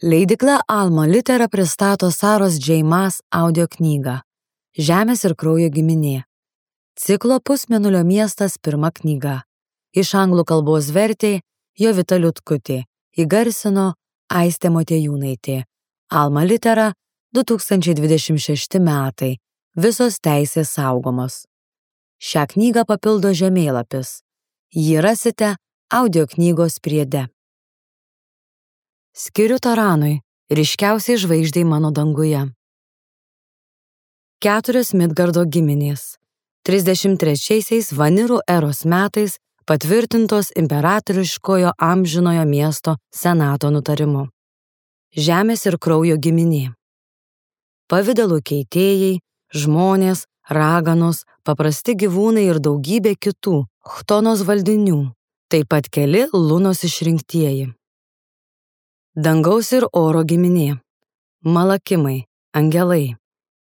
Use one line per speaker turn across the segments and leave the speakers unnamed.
Leidykla Alma Litera pristato Saros J. Maas audio knygą Žemės ir kraujo giminė. Ciklo Pusmėnulio miestas pirma knyga. Iš anglų kalbos vertė Jovita Liutkutė, įgarsino Aistė Motiejūnaitė. Alma Litera 2026 metai. Visos teisės saugomos. Šią knygą papildo žemėlapis. Jį rasite audio knygos priede. Skiriu Taranui, ryškiausiai žvaigždei mano danguje. 4 Midgardo giminės. 33 Vanirų eros metais patvirtintos imperatoriškojo amžinojo miesto senato nutarimu. Žemės ir kraujo giminė. Pavidalų keitėjai, žmonės, raganos, paprasti gyvūnai ir daugybė kitų chtonos valdinių, taip pat keli lunos išrinktieji. Dangaus ir oro giminė. Malakimai, angelai,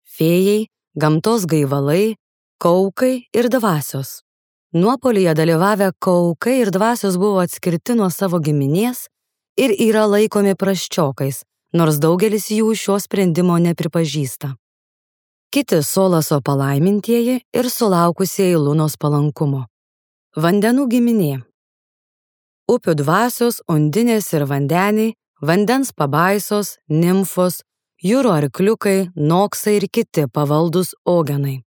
fėjai, gamtos gaivalai, kaukai ir dvasios. Nuopolyje dalyvavę kaukai ir dvasios buvo atskirti nuo savo giminės ir yra laikomi prasčiokais, nors daugelis jų šio sprendimo nepripažįsta. Kiti Solaso palaimintieji ir sulaukusieji Lunos palankumo. Vandenų giminė. Upių dvasios, undinės ir vandeniai, vandens pabaisos, nimfos, jūrų arkliukai, noksai ir kiti pavaldus ogenai.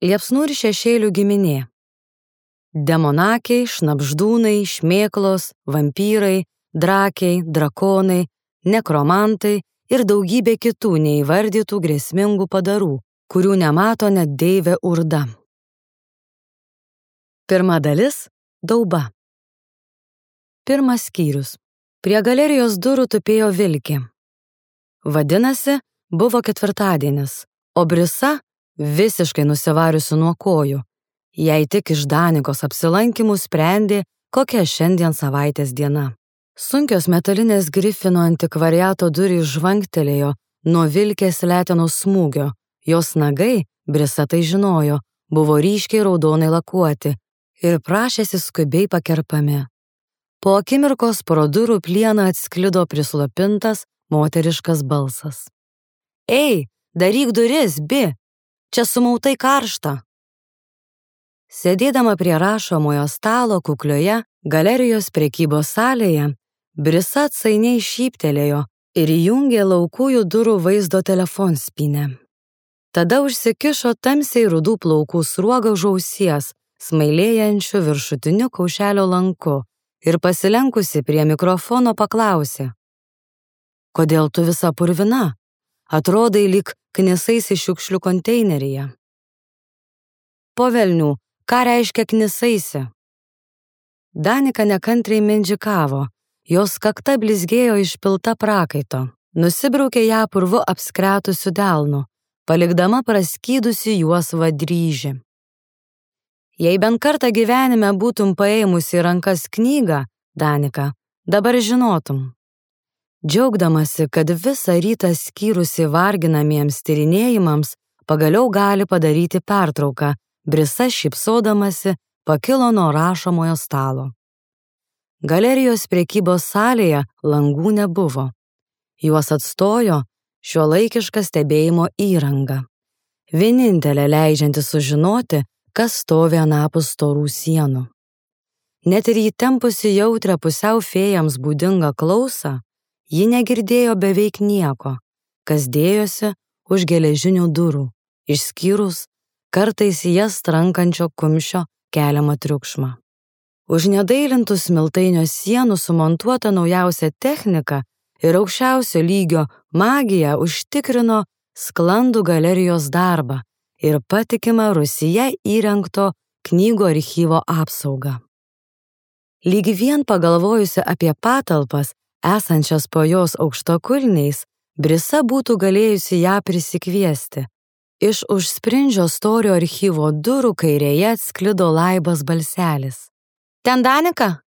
Liepsnų ir šešėlių giminė. Demonakiai, šnabždūnai, šmėklos, vampyrai, drakiai, drakonai, nekromantai ir daugybė kitų neįvardytų grėsmingų padarų, kurių nemato net deivė Urda. Pirma dalis – Dauba. Pirmas skyrius. Prie galerijos durų tupėjo vilkė. Vadinasi, buvo ketvirtadienis, o Brisa, visiškai nusivariusi nuo kojų, jei tik iš Danikos apsilankymų sprendė, kokia šiandien savaitės diena. Sunkios metalinės Grifino antikvariato durys žvangtelėjo nuo vilkės letenos smūgio, jos nagai, Brisa tai žinojo, buvo ryškiai raudonai lakuoti ir prašėsi skubiai pakerpami. Po akimirkos pro durų plieną atsklido prislopintas moteriškas balsas. Ei, daryk duris, Bi, čia sumautai karšta. Sėdėdama prie rašomojo stalo kuklioje galerijos prekybos salėje, Brisa atsainiai šyptelėjo ir įjungė laukųjų durų vaizdo telefonspynę. Tada užsikišo tamsiai rudų plaukų sruogą už ausies, smailėjančiu viršutiniu kaušelio lanku, ir pasilenkusi prie mikrofono paklausė. Kodėl tu visa purvina? Atrodai lyg knisaisi šiukšlių konteineryje. Po velnių, ką reiškia knisaisi? Danika nekantriai mindžikavo, jos kakta blizgėjo išpilta prakaito, nusibraukė ją purvu apskretusiu delnu, palikdama praskydusi juosvą dryžį. Jei bent kartą gyvenime būtum paėmusi į rankas knygą, Danika, dabar žinotum. Džiaugdamasi, kad visą rytą skyrusi varginamiems tyrinėjimams, pagaliau gali padaryti pertrauką, Brisa šypsodamasi pakilo nuo rašomojo stalo. Galerijos prekybos salėje langų nebuvo. Juos atstojo šiuolaikiška stebėjimo įranga. Vienintelė leidžianti sužinoti, kas stovi anapus storų sienų. Net ir įtempusi jautrią pusiau fėjams būdingą klausą, ji negirdėjo beveik nieko, kas dėjosi už geležinių durų, išskyrus kartais jas trankančio kumščio keliamą triukšmą. Už nedailintų smiltainio sienų sumontuota naujausia technika ir aukščiausio lygio magija užtikrino sklandų galerijos darbą ir patikimą Rusija įrengto knygų archyvo apsaugą. Lyg vien pagalvojusi apie patalpas, esančias po jos aukštakulniais, Brisa būtų galėjusi ją prisikviesti. Iš už sprindžio storio archyvo durų kairėje atsklido laibas balselis. Ten Danika?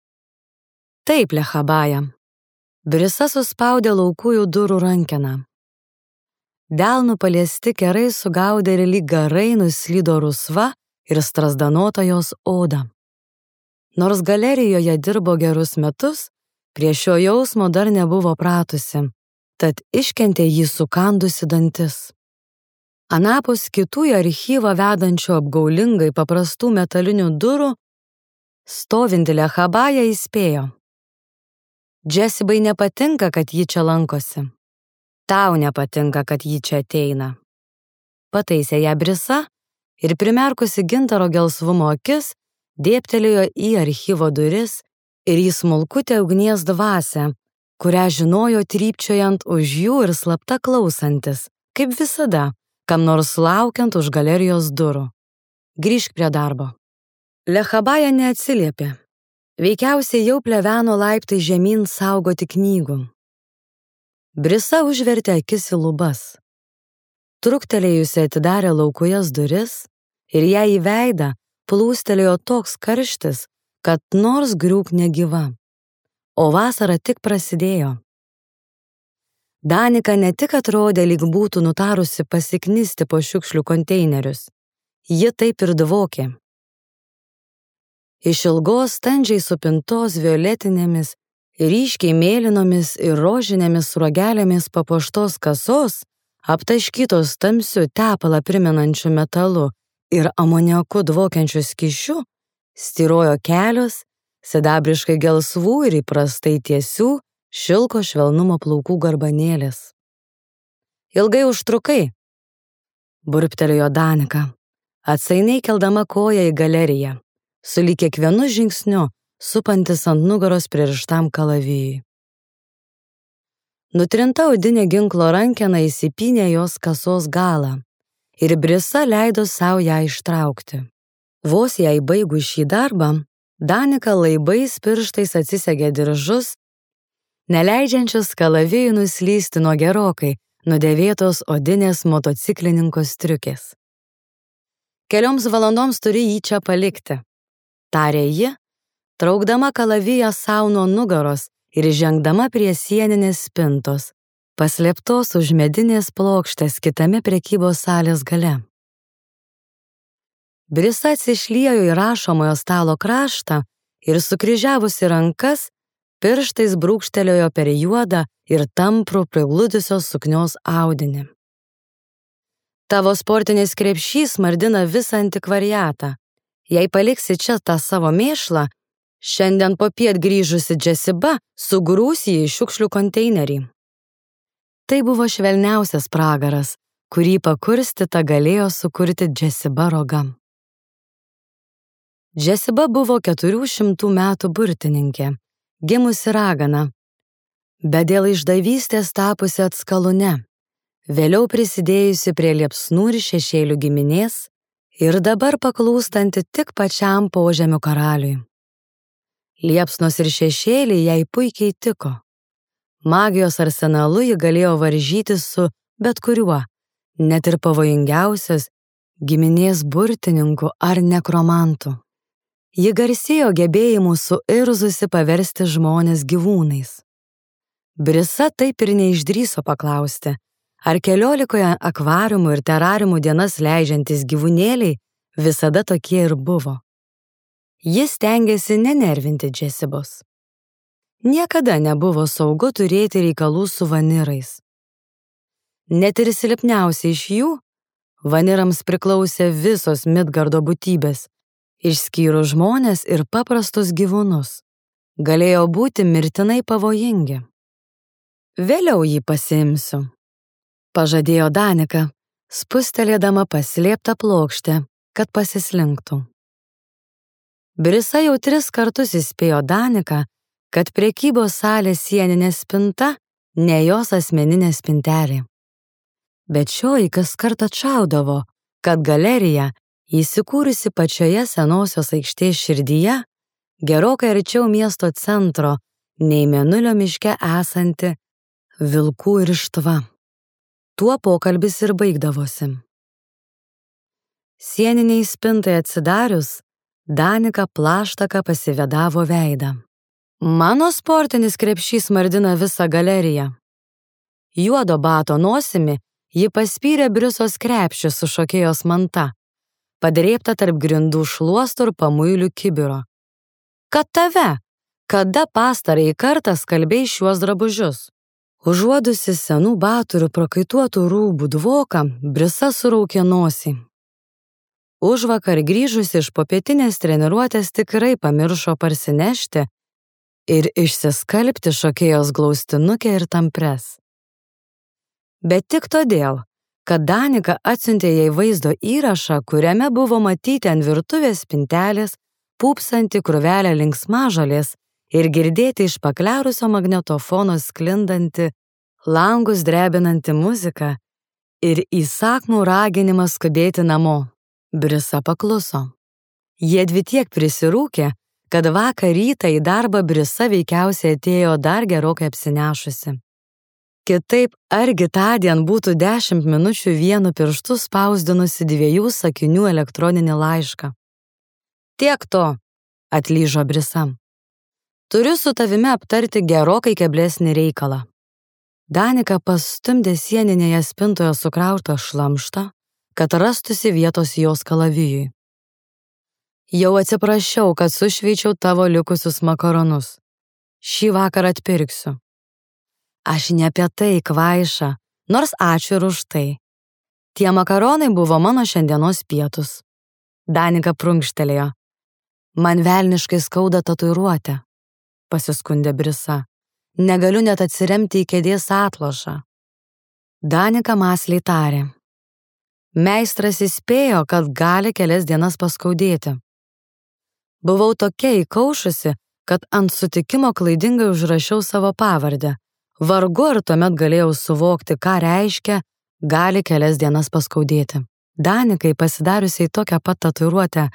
Taip, Lechabaja. Brisa suspaudė laukųjų durų rankeną. Delnų paliesti kerai sugaudė ir lyg garai nuslydo rusva ir strazdanota jos oda. Nors galerijoje dirbo gerus metus, prie šio jausmo dar nebuvo pratusi tad iškentė jį sukandusi dantis. Anapus kitų į archyvą vedančių apgaulingai paprastų metalinių durų, stovinti Lechabaja įspėjo. Džesibai nepatinka, kad ji čia lankosi. Tau nepatinka, kad ji čia ateina. Pataisė ją Brisa ir primerkusi gintaro gelsvumo akis, dėbtelėjo į archyvo duris ir į smulkutę ugnies dvasią, kurią žinojo trypčiojant už jų ir slapta klausantis, kaip visada, kam nors laukiant už galerijos durų. Grįžk prie darbo. Lechabaja neatsiliepė. Veikiausiai jau pleveno laiptai žemyn saugoti knygų. Brisa užvertė akis į lubas. Truktelėjusi atidarė laukujas duris ir ją į veidą plūstelėjo toks karštis, kad nors griūk negyva. O vasara tik prasidėjo. Danika ne tik atrodė, lyg būtų nutarusi pasiknisti po šiukšlių konteinerius. Ji taip ir dvokė. Iš ilgos standžiai supintos violetinėmis, ryškiai mėlynomis ir rožinėmis sruogelėmis papuoštos kasos, aptaškytos tamsiu tepalą primenančiu metalu ir amoniaku dvokiančiu skysčiu, styrojo kelios, sidabriškai gelsvų ir įprastai tiesių, šilko švelnumo plaukų garbanėlės. Ilgai užtrukai, burbtelėjo Danika, atsainiai keldama koją į galeriją, sulyg kiekvienu žingsniu supantis ant nugaros pririštam kalavijui. Nutrinta odinė ginklo rankena įsipynė jos kasos galą ir Brisa leido savo ją ištraukti. Vos jai baigus šį darbą, Danika laibais pirštais atsisegė diržus, neleidžiančius kalavijui nuslysti nuo gerokai nudėvėtos odinės motociklininko striukės. Kelioms valandoms turi jį čia palikti, tarė ji, traukdama kalaviją sau nuo nugaros ir žengdama prie sieninės spintos, paslėptos už medinės plokštės kitame prekybos salės gale. Brisa atsišliejo į rašomojo stalo kraštą ir sukryžiavusi rankas, pirštais brūkštelėjo per juodą ir tamprų prigludusios suknios audinį. Tavo sportinis krepšys mardina visą antikvariatą. Jei paliksi čia tą savo mėšlą, šiandien popiet grįžusi Džesiba sugrūs jį į šiukšlių konteinerį. Tai buvo švelniausias pragaras, kurį pakurstyta galėjo sukurti Džesiba rogam. Džesiba buvo 400 metų burtininkė, gimusi ragana, bet dėl išdavystės tapusi atskalūne, vėliau prisidėjusi prie liepsnų ir šešėlių giminės ir dabar paklūstanti tik pačiam požemių karaliui. Liepsnos ir šešėliai jai puikiai tiko. Magijos arsenalu ji galėjo varžytis su bet kuriuo, net ir pavojingiausias giminės burtininku ar nekromantu. Ji garsėjo gebėjimu suirzusi paversti žmones gyvūnais. Brisa taip ir neišdrįso paklausti, ar 14 akvariumų ir terariumų dienas leidžiantys gyvūnėliai visada tokie ir buvo. Jis stengiasi nenervinti Džesibos. Niekada nebuvo saugu turėti reikalų su vanirais. Net ir silpniausiai iš jų, vanirams priklausė visos Midgardo būtybės, išskyrus žmonės ir paprastus gyvūnus, galėjo būti mirtinai pavojingi. Vėliau jį pasiimsiu, pažadėjo Danika, spustelėdama paslėptą plokštę, kad pasislinktų. Brisa jau 3 kartus įspėjo Daniką, kad prekybos salės sieninė spinta ne jos asmeninė spintelė. Bet šioji kas kartą atšaudavo, kad galerija, įsikūrusi pačioje senosios aikštės širdyje, gerokai arčiau miesto centro, nei Mėnulio miške esanti vilkų irštva. Tuo pokalbis ir baigdavosi. Sieniniai spintai atsidarius, Danika plaštaka pasivedavo veidą. Mano sportinis krepšys mardina visą galeriją. Juodo bato nosimi ji paspyrė Brisos krepšį su šokėjos manta, padrėbta tarp grindų šluostų ir pamuilių kibiro. Kad tave, kada pastarąjį kartą skalbei šiuos drabužius? Užuodusi senų batų ir prakaituotų rūbų dvoką, Brisa suraukė nosį. Užvakar grįžusi iš popietinės treniruotės tikrai pamiršo parsinešti ir išsiskalbti šokėjos glaustinukę ir tampres. Bet tik todėl, kad Danika atsiuntė jai vaizdo įrašą, kuriame buvo matyti ant virtuvės spintelės pūpsanti krūvelė linksmažolės ir girdėti iš paklerusio magnetofono sklindanti, langus drebinanti muzika ir įsakmų raginimą skubėti namo. Brisa pakluso. Jiedvi tiek prisirūkė, kad vakar rytą į darbą Brisa veikiausiai atėjo dar gerokai apsinešusi. Kitaip, argi tądien būtų 10 minučių vienu pirštu spausdinusi 2 sakinių elektroninį laišką. Tiek to, atlyžo Brisa. Turiu su tavimi aptarti gerokai keblesnį reikalą. Danika pastumdė sieninėje spintoje sukrautą šlamštą, kad rastusi vietos jos kalavijui. Jau atsiprašiau, kad sušveičiau tavo likusius makaronus. Šį vakarą atpirksiu. Aš ne apie tai, kvaiša, nors ačiū ir už tai. Tie makaronai buvo mano šiandienos pietus. Danika prunkštelėjo. Man velniškai skauda tatuiruotę, pasiskundė Brisa. Negaliu net atsiremti į kėdės atlošą. Danika mąsliai tarė. Meistras įspėjo, kad gali kelias dienas paskaudėti. Buvau tokia įkaušusi, kad ant sutikimo klaidingai užrašiau savo pavardę. Vargu ar tuomet galėjau suvokti, ką reiškia gali kelias dienas paskaudėti. Danikai, pasidariusiai tokią pat tatuiruotę,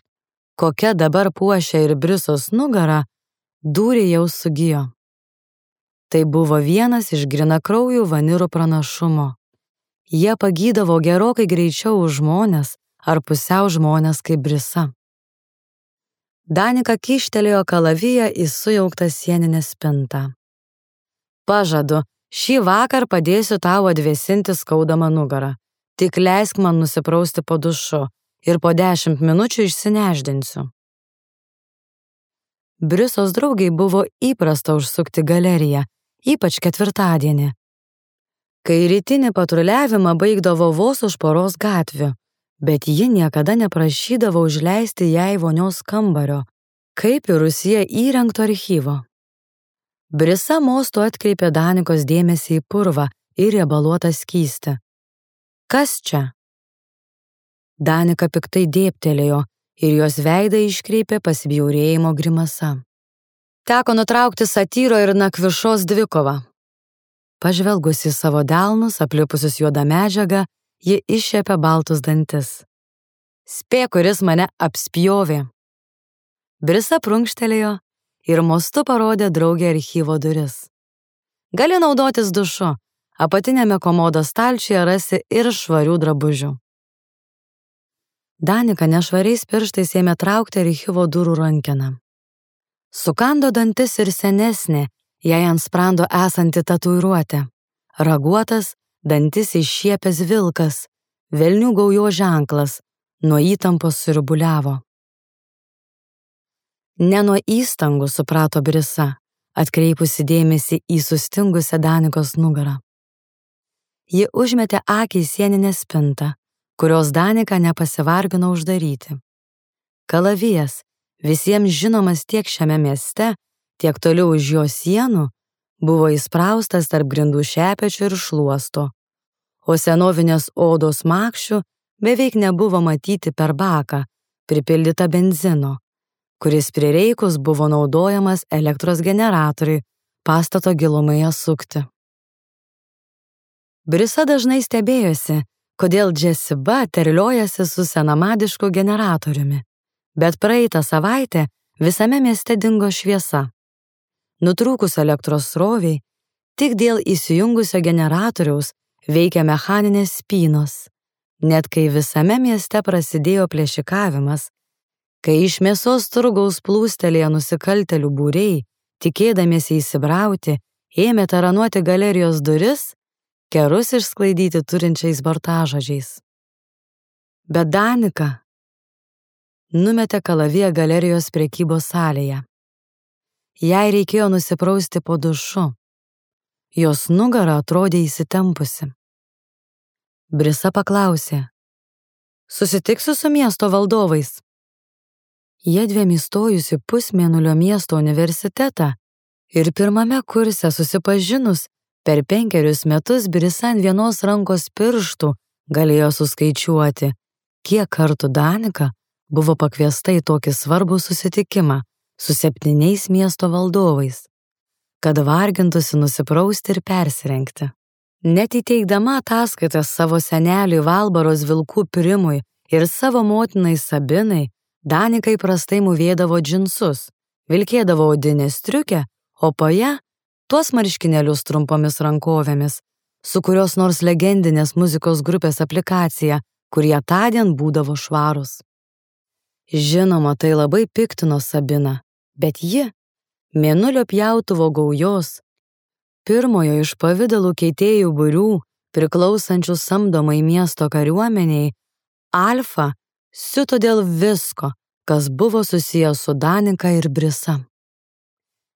kokia dabar puošia ir Brisos nugarą, dūriai jau sugijo. Tai buvo vienas iš grinakraujų vanirų pranašumo. Jie pagydavo gerokai greičiau už žmonės ar pusiau žmonės kaip Brisa. Danika kyštelėjo kalaviją į sujauktą sieninę spintą. Pažadu, šį vakar padėsiu tau atvėsinti skaudamą nugarą. Tik leisk man nusiprausti po dušu ir po 10 minučių išsineždinsiu. Brisos draugiai buvo įprasta užsukti galeriją, ypač ketvirtadienį, kai rytinį patruliavimą baigdavo vos už poros gatvių, bet ji niekada neprašydavo užleisti jai vonios kambario, kaip ir rūsyje įrengto archyvo. Brisa mostu atkreipė Danikos dėmesį į purvą ir riebaluotą skystį. Kas čia? Danika piktai dėbtelėjo ir jos veidą iškreipė pasibjaurėjimo grimasa. Teko nutraukti satyro ir nakvišos dvikovą. Pažvelgusi savo delnus, aplipusius juodą medžiagą, ji iššiepė baltus dantis. Spėk, kuris mane apspjovė. Brisa prunkštelėjo ir mostu parodė draugė archyvo duris. Gali naudotis dušu, apatinėme komodo stalčiuje rasi ir švarių drabužių. Danika nešvariais pirštais ėmė traukti archyvo durų rankeną. Sukando dantis ir senesnė, jai ant sprando esanti tatuiruotė. Raguotas, dantis iššiepęs vilkas, velnių gaujo ženklas, nuo įtampos sirbuliavo. Ne nuo įstangų, suprato Brisa, atkreipusi dėmesį į sustingusią Danikos nugarą. Ji užmetė akį į sieninę spintą, kurios Danika nepasivargino uždaryti. Kalavijas, visiems žinomas tiek šiame mieste, tiek toliau už jo sienų, buvo įspraustas tarp grindų šepečių ir šluosto, o senovinės odos makščių beveik nebuvo matyti per baką, pripildytą benzino, kuris prireikus buvo naudojamas elektros generatoriui pastato gilumoje sukti. Brisa dažnai stebėjosi, kodėl Džesiba terliojasi su senamadišku generatoriumi, bet praeitą savaitę visame mieste dingo šviesa. Nutrūkus elektros sroviai, tik dėl įsijungusio generatoriaus veikia mechaninės spynos, net kai visame mieste prasidėjo plėšikavimas, kai iš mėsos turgaus plūstelėjo nusikaltėlių būriai, tikėdamiesi įsibrauti, ėmė taranuoti galerijos duris, kerus išsklaidyti turinčiais burtažodžiais. Bet Danika numetė kalaviją galerijos prekybos salėje. Jai reikėjo nusiprausti po dušu. Jos nugara atrodė įsitempusi. Brisa paklausė: susitiksiu su miesto valdovais? Jiedviem įstojus į Pusmėnulio miesto universitetą ir pirmame kurse susipažinus, per 5 metus Brisa ant vienos rankos pirštų galėjo suskaičiuoti, kiek kartų Danika buvo pakviesta į tokį svarbų susitikimą su 7 miesto valdovais, kad vargintųsi nusiprausti ir persirengti. Net įteikdama ataskaitas savo seneliui Valbaros vilkų Primui ir savo motinai Sabinai, Danika įprastai mūvėdavo džinsus, vilkėdavo odinę striukę, o po ją tuos marškinėlius trumpomis rankovėmis, su kurios nors legendinės muzikos grupės aplikacija, kurie tądien būdavo švarūs. Žinoma, tai labai piktino Sabiną, bet ji, Mėnulio pjautuvo gaujos, pirmojo iš pavidalų keitėjų būrių, priklausančių samdomai miesto kariuomeniai, Alfa, siuto dėl visko, kas buvo susijęs su Danika ir Brisa.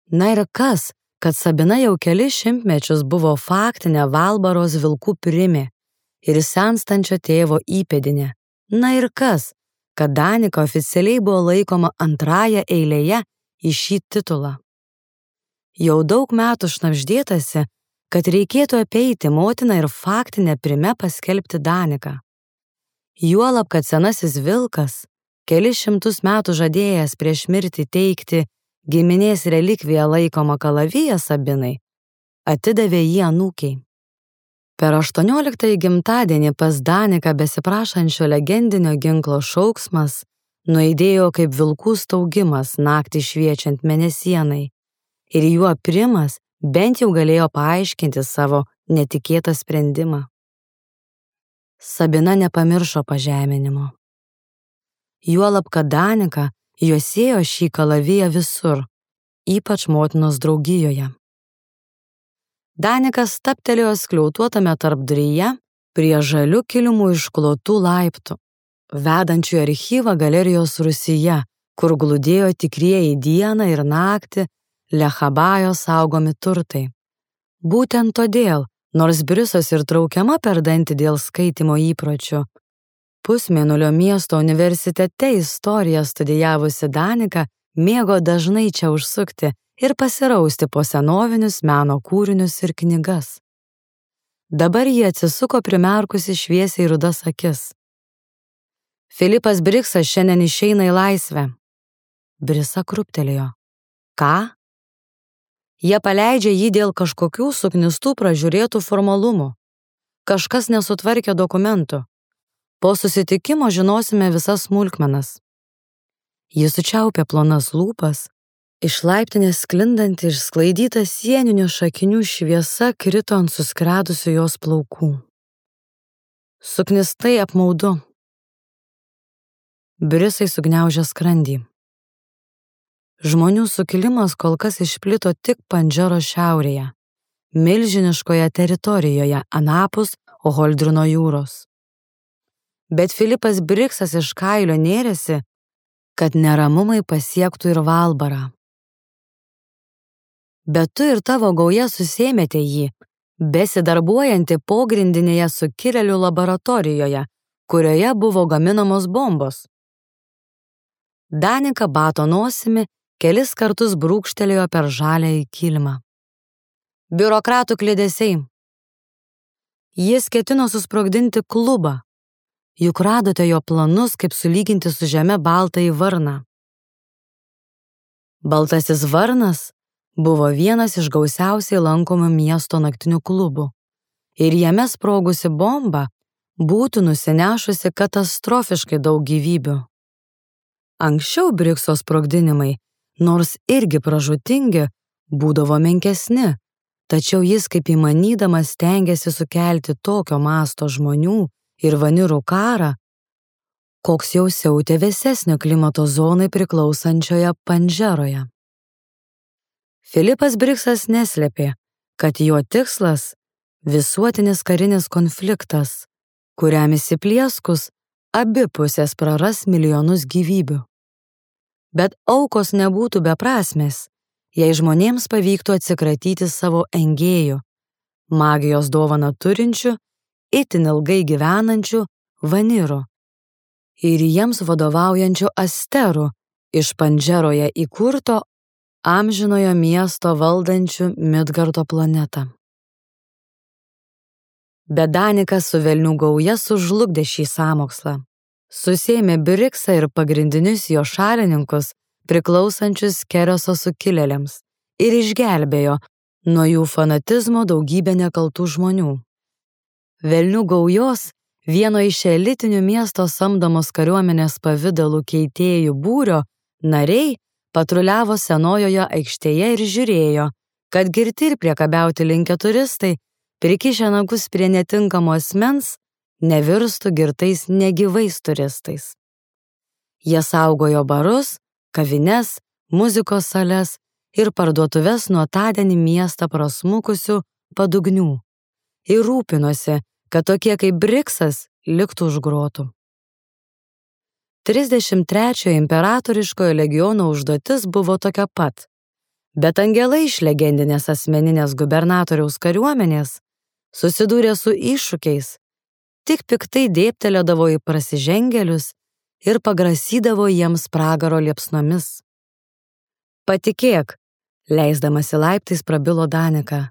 Na ir kas, kad Sabina jau kelis šimtmečius buvo faktinė Valbaros vilkų Primė ir senstančio tėvo įpėdinė. Na ir kas, kad Danika oficialiai buvo laikoma antrąja eilėje į šį titulą. Jau daug metų šnabždėtasi, kad reikėtų apeiti motiną ir faktinę Prime paskelbti Daniką. Juolab, kad senasis vilkas, kelis šimtus metų žadėjęs prieš mirtį teikti giminės relikviją laikomą kalaviją Sabinai, atidavė jį anūkiai. Per 18 gimtadienį pas Daniką besiprašančio legendinio ginklo šauksmas nuaidėjo kaip vilkų staugimas naktį šviečiant mėnesienai, ir juo Primas bent jau galėjo paaiškinti savo netikėtą sprendimą. Sabina nepamiršo pažeminimo. Juolab, kad Danika juosėjo šį kalaviją visur, ypač motinos draugijoje. Danikas stabtelėjo skliautuotame tarpduryje prie žalių kilimų išklotų laiptų, vedančių į archyvą galerijos rūsyje, kur glūdėjo tikrieji dieną ir naktį Lechabajo saugomi turtai. Būtent todėl, nors Brisos ir traukiama per dantį dėl skaitymo įpročių, Pusmėnulio miesto universitete istoriją studijavusi Danika mėgo dažnai čia užsukti ir pasirausti po senovinius meno kūrinius ir knygas. Dabar jie atsisuko primerkusi šviesiai rudas akis. Filipas Briksas šiandien išeina į laisvę. Brisa krūptelėjo. Ką? Jie paleidžia jį dėl kažkokių suknistų pražiūrėtų formalumų. Kažkas nesutvarkė dokumentų. Po susitikimo žinosime visas smulkmenas. Jis sučiaupė plonas lūpas, iš laiptinės sklindanti išsklaidyta sieninių šakinių šviesa krito ant suskredusių jos plaukų. Suknistai apmaudu. Brisai sugniaužė skrandį. Žmonių sukilimas kol kas išplito tik Pandžero šiaurėje, milžiniškoje teritorijoje anapus Oholdrino jūros. Bet Filipas Briksas iš kailio nėrėsi, kad neramumai pasiektų ir Valbarą. Bet tu ir tavo gauja susėmėte jį, besidarbuojantį pogrindinėje sukilėlių laboratorijoje, kurioje buvo gaminamos bombos. Danika bato nosimi, kelis kartus brūkštelėjo per žaliąjį kilimą. Biurokratų kliedesiai. Jis ketino susprogdinti klubą. Juk radote jo planus, kaip sulyginti su žeme baltąjį varną. Baltasis varnas buvo vienas iš gausiausiai lankomų miesto naktinių klubų. Ir jame sprogusi bomba būtų nusinešusi katastrofiškai daug gyvybių. Anksčiau Brikso sprogdinimai, nors irgi pražūtingi, būdavo menkesni, tačiau jis kaip įmanydamas stengėsi sukelti tokio masto žmonių ir vanirų karą, koks jau siautė vėsesnio klimato zonai priklausančioje Pandžeroje. Filipas Briksas neslėpė, kad jo tikslas – visuotinis karinis konfliktas, kuriam įsiplieskus abi pusės praras milijonus gyvybių. Bet aukos nebūtų beprasmės, jei žmonėms pavyktų atsikratyti savo engėjų, magijos dovaną turinčių, itin ilgai gyvenančių vanirų ir jiems vadovaujančių asterų iš Pandžeroje įkurto amžinojo miesto valdančių Midgardo planetą. Bet Danikas su velnių gauja sužlugdė šį sąmokslą. Susėmė Briksą ir pagrindinius jo šalininkus, priklausančius Kereso sukilėliams, ir išgelbėjo nuo jų fanatizmo daugybę nekaltų žmonių. Velnių gaujos, vieno iš elitinių miesto samdomos kariuomenės pavidalų keitėjų būrio nariai patruliavo Senojoje aikštėje ir žiūrėjo, kad girti ir priekabiauti linkę turistai, prikišę nagus prie netinkamo asmens, nevirstų girtais negyvais turistais. Jie saugojo barus, kavines, muzikos sales ir parduotuves nuo tądienį miestą prasmukusių padugnių ir rūpinosi, kad tokie kaip Briksas liktų už grotų. 33 imperatoriškojo legiono užduotis buvo tokia pat, bet angelai iš legendinės asmeninės gubernatoriaus kariuomenės susidūrė su iššūkiais, tik piktai dėbtelėdavo į prasižengėlius ir pagrasydavo jiems pragaro liepsnomis. Patikėk, leisdamasi laiptais prabilo Danika.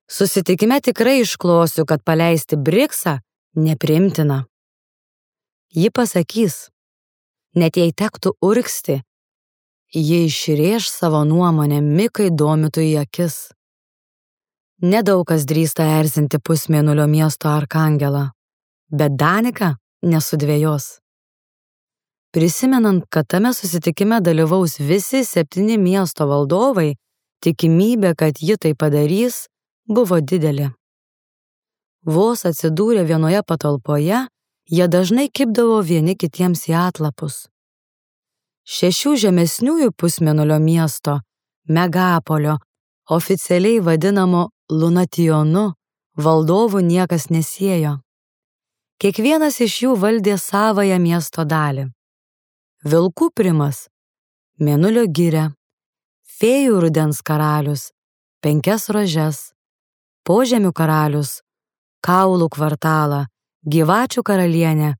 Susitikime tikrai išklosiu, kad paleisti Briksą nepriimtina. Ji pasakys, net jei tektų urgzti, ji išrėš savo nuomonę Mikai domitų į akis. Nedaug kas drįsta erzinti pusmėnulio miesto arkangelą, bet Danika nesudvejos. Prisimenant, kad tame susitikime dalyvaus visi 7 miesto valdovai, tikimybė, kad ji tai padarys, buvo didelė. Vos atsidūrę vienoje patalpoje, jie dažnai kibdavo vieni kitiems į atlapus. 6 žemesniųjų pusmėnulio miesto, Megapolio, oficialiai vadinamo Lunationu, valdovų niekas nesiejo. Kiekvienas iš jų valdė savąją miesto dalį. Vilkų primas, Mėnulio giria, Fėjų rudens karalius, 5 rožes, Požemių karalius, Kaulų kvartalą, Gyvačių karalienę,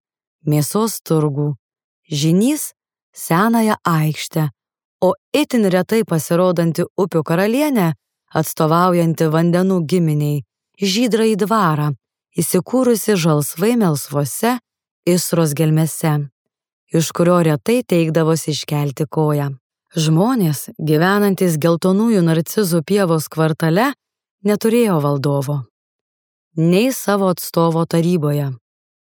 Mėsos turgų, Žynys, Senąją aikštę, o itin retai pasirodanti upių karalienė, atstovaujanti vandenų giminiai, Žydrąjį dvarą, įsikūrusi žalsvai melsvose Isros gelmėse, iš kurio retai teikdavosi iškelti koją. Žmonės, gyvenantys geltonųjų narcizų pievos kvartale, neturėjo valdovo, nei savo atstovo taryboje.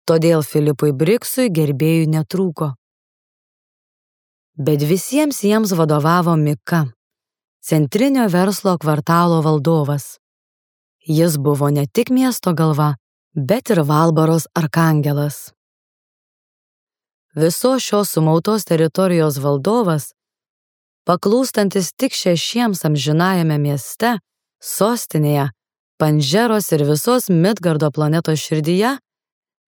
Todėl Filipui Briksui gerbėjų netrūko. Bet visiems jiems vadovavo Mika, centrinio verslo kvartalo valdovas. Jis buvo ne tik miesto galva, bet ir Valbaros arkangelas. Visos šios sumautos teritorijos valdovas, paklūstantis tik 6 amžinajame mieste, sostinėje, Pandžeros ir visos Midgardo planetos širdyje,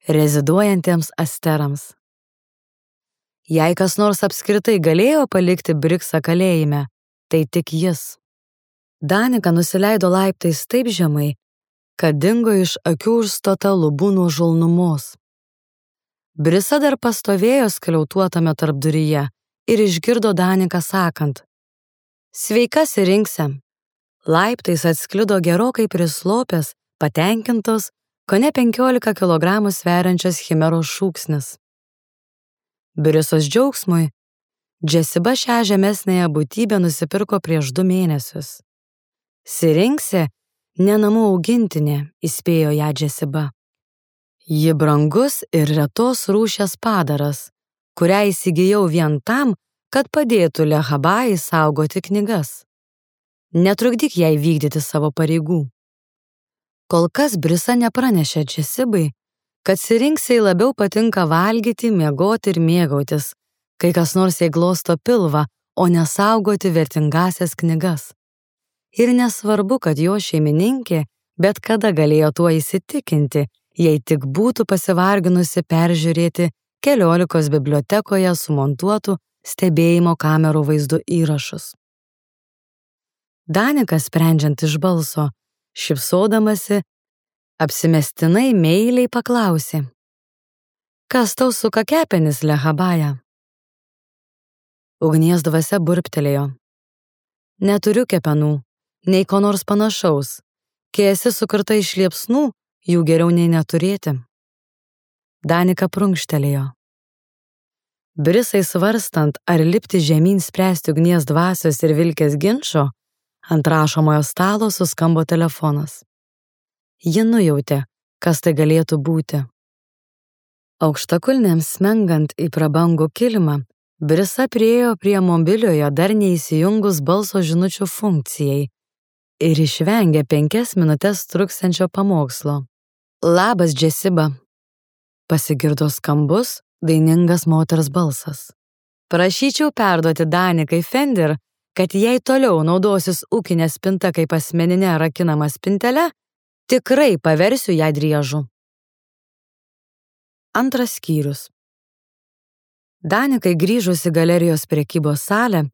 reziduojantiems asterams. Jei kas nors apskritai galėjo palikti Briksą kalėjime, tai tik jis. Danika nusileido laiptais taip žemai, kad dingo iš akių užstota lubų nuo žulnumos. Brisa dar pastovėjo skliautuotame tarpduryje ir išgirdo Daniką sakant: Sveika, Sirinkse. Laiptais atsklido gerokai prislopęs, patenkintos, kone 15 kilogramų sveriančias chimeros šūksnis. Brisos džiaugsmui, Džesiba šią žemesnėje būtybę nusipirko prieš 2 mėnesius. Sirinkse, ne namų augintinė, įspėjo ją Džesiba. Ji brangus ir retos rūšies padaras, kurią įsigijau vien tam, kad padėtų Lehabai saugoti knygas. Netrukdyk jai vykdyti savo pareigų. Kol kas Brisa nepranešė Džesibai, kad Sirinksei labiau patinka valgyti, miegoti ir mėgautis, kai kas nors jai glosto pilvą, o nesaugoti vertingasias knygas. Ir nesvarbu, kad jo šeimininkė bet kada galėjo tuo įsitikinti, jei tik būtų pasivarginusi peržiūrėti 14 bibliotekoje sumontuotų stebėjimo kamerų vaizdų įrašus. Danikas, sprendžiant iš balso, šypsodamasi, apsimestinai meiliai paklausė: Kas tau suka kepenis, Lehabaja? Ugnies dvasia burptelėjo: Neturiu kepenų, nei ko nors panašaus. Kai esi sukurta iš liepsnų, jų geriau nei neturėti. Danika prunkštelėjo. Brisai svarstant, ar lipti žemyn spręsti ugnies dvasios ir Vilkės ginčo, ant rašomojo stalo suskambo telefonas. Ji nujautė, kas tai galėtų būti. Aukštakulnėms smengant į prabangų kilimą, Brisa priėjo prie mobiliojo dar neįsijungus balso žinučių funkcijai ir išvengė 5 minutes truksiančio pamokslo. Labas, Džesiba. Pasigirdo skambus, dainingas moters balsas. Prašyčiau perduoti Danikai Fender, kad jei toliau naudosis ūkinė spinta kaip asmeninė rakinama spintelė, tikrai paversiu ją driežu. 2 skyrius. Danikai grįžus į galerijos prekybos salę,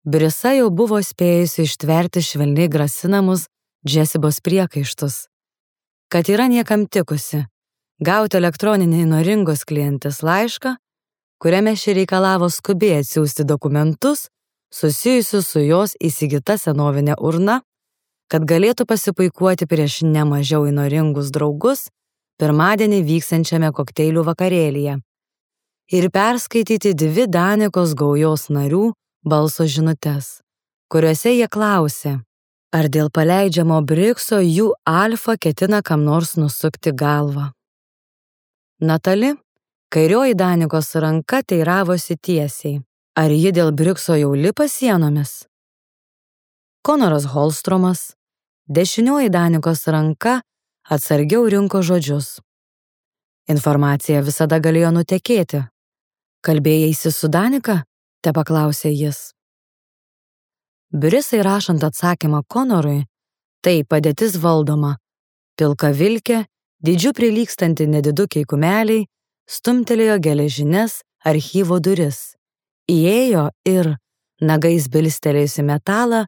Brisa jau buvo spėjusi ištverti švelniai grasinamus Džesibos priekaištus, kad yra niekam tikusi, gauti elektroninį įnoringos klientės laišką, kuriame ši reikalavo skubiai atsiųsti dokumentus susijusius su jos įsigyta senovinė urna, kad galėtų pasipuikuoti prieš nemažiau įnoringus draugus pirmadienį vyksiančiame kokteilių vakarėlyje ir perskaityti 2 Danikos gaujos narių balso žinutes, kuriuose jie klausė, ar dėl paleidžiamo Brikso jų alfa ketina kam nors nusukti galvą. Natali, kairioji Danikos ranka teiravosi tiesiai, ar ji dėl Brikso jau lipa sienomis. Konoras Holstromas, dešinioji Danikos ranka atsargiau rinko žodžius. Informacija visada galėjo nutekėti. Kalbėjaisi su Danika? Tepaklausė jis. Brisai rašant atsakymą Konorui, tai padėtis valdoma. Pilka Vilkė, dydžiu prilygstanti nedidukiai kumeliai, stumtelėjo geležines archyvo duris. Įėjo ir, nagais bilstelėjusi metalą,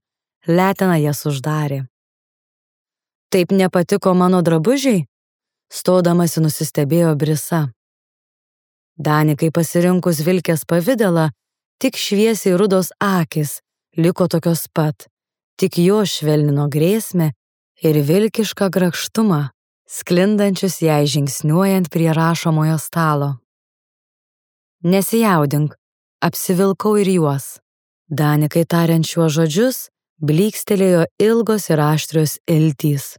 letena jas uždarė. Taip nepatiko mano drabužiai? Stodamasi nusistebėjo Brisa. Danikai pasirinkus Vilkės pavidalą, tik šviesiai rudos akis liko tokios pat, tik jo švelnino grėsmę ir vilkišką grakštumą, sklindančius jai žingsniuojant prie rašomojo stalo. Nesijaudink, apsivilkau ir juos. Danikai tariant šiuos žodžius, blykstelėjo ilgos ir aštrios iltys.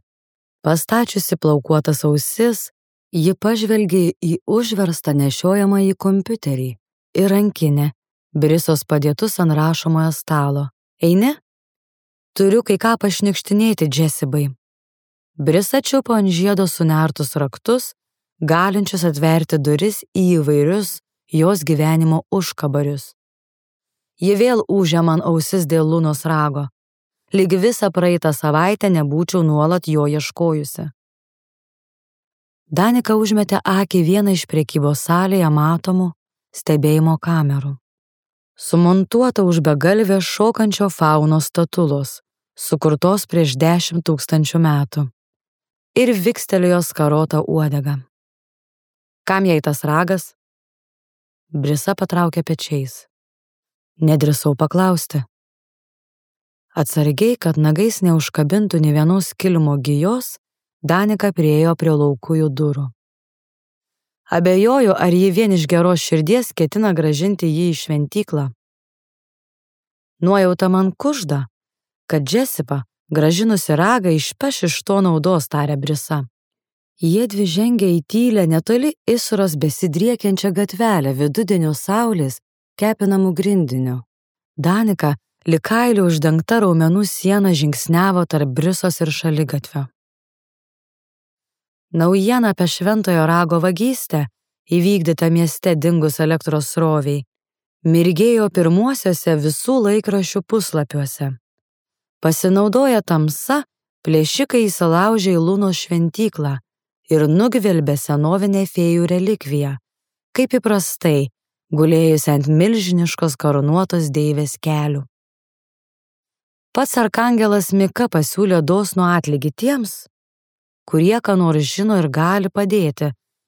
Pastačiusi plaukuotas ausis, ji pažvelgė į užverstą nešiojamąjį kompiuterį ir rankinę, Brisos padėtus ant rašomojo stalo. Eini? Turiu kai ką pašnikštinėti Džesibai. Brisa čiupo ant žiedo sunertus raktus, galinčius atverti duris į įvairius jos gyvenimo užkabarius. Ji vėl ūžė man ausis dėl Lunos rago. Lyg visą praeitą savaitę nebūčiau nuolat jo ieškojusi. Danika užmetė akį vieną iš prekybos salėje matomų stebėjimo kamerų. Sumontuota už begalvės šokančio faunos statulos, sukurtos prieš 10 000 metų, ir vikstelėjo skarotą uodegą. Kam jai tas ragas? Brisa patraukė pečiais. Nedrįsau paklausti. Atsargiai, kad nagais neužkabintų nė vienos kilimo gijos, Danika priėjo prie laukujų durų. Abejoju, ar ji vien iš geros širdies ketina grąžinti jį į šventyklą. Nuojauta man kužda, kad Džesiba, grąžinusi ragą, išpeš iš to naudos, tarė Brisa. Jiedvi žengė į tylią netoli Isros besidriekiančią gatvelę vidudienio saulės kepinamų grindinių. Danika, lyg kailiu uždengta raumenų siena, žingsniavo tarp Brisos ir šaligatvio. Naujiena apie šventojo rago vagystę, įvykdytą mieste dingus elektros sroviai, mirgėjo pirmuosiuose visų laikraščių puslapiuose. Pasinaudoję tamsa, plėšikai įsilaužė į Lunos šventyklą ir nugvelbė senovinę fėjų relikviją, kaip įprastai, gulėjusi ant milžiniškos karūnuotos deivės kelių. Pats arkangelas Mika pasiūlė dosnų atlygį tiems, kurie ką nors žino ir gali padėti,